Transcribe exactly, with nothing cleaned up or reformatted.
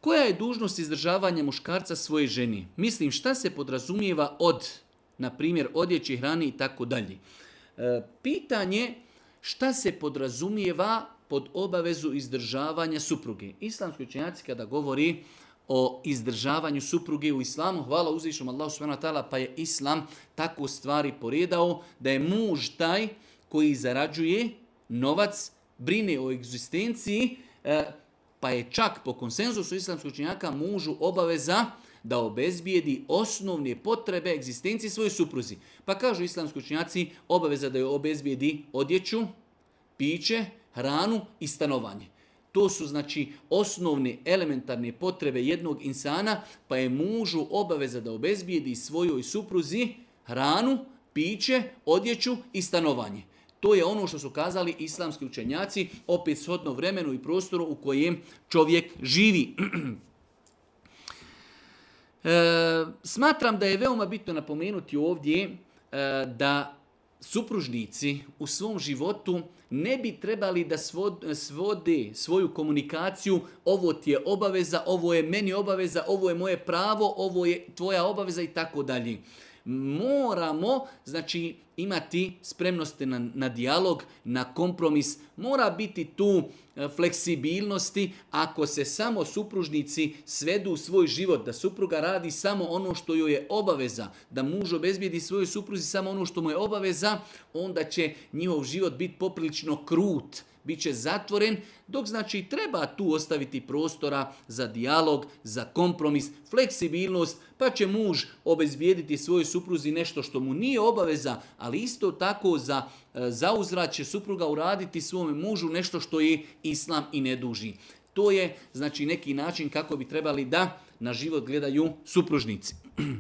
Koja je dužnost izdržavanja muškarca svoje ženi? Mislim, šta se podrazumijeva od, na primjer, odjeći, hrani i tako dalje. Pitanje šta se podrazumijeva pod obavezu izdržavanja supruge. Islamski učenjaci kada govori o izdržavanju supruge u islamu, hvala uzvišnom Allahu subhanahu wa ta'ala, pa je islam tako stvari poredao da je muž taj koji zarađuje novac, brine o egzistenciji, pa je čak po konsenzusu islamskih učenjaka mužu obaveza da obezbijedi osnovne potrebe egzistencije svoje supruzi. Pa kažu islamski učenjaci obaveza da joj obezbijedi odjeću, piće, hranu i stanovanje. To su znači osnovne elementarne potrebe jednog insana, pa je mužu obaveza da obezbijedi svojoj supruzi hranu, piće, odjeću i stanovanje. To je ono što su kazali islamski učenjaci, opet shodno vremenu i prostoru u kojem čovjek živi. E, smatram da je veoma bitno napomenuti ovdje e, da supružnici u svom životu ne bi trebali da svode svoju komunikaciju, ovo ti je obaveza, ovo je meni obaveza, ovo je moje pravo, ovo je tvoja obaveza i tako dalje. Moramo, znači, imati spremnosti na, na dijalog, na kompromis, mora biti tu fleksibilnosti. Ako se samo supružnici svedu u svoj život, da supruga radi samo ono što joj je obaveza, da muž obezbijedi svojoj supruzi samo ono što mu je obaveza, onda će njihov život biti poprilično krut, bit će zatvoren, dok znači treba tu ostaviti prostora za dijalog, za kompromis, fleksibilnost, pa će muž obezbijediti svojoj supruzi nešto što mu nije obaveza, ali isto tako za zauzvrat će supruga uraditi svome mužu nešto što je islam i ne duži. To je znači neki način kako bi trebali da na život gledaju supružnici.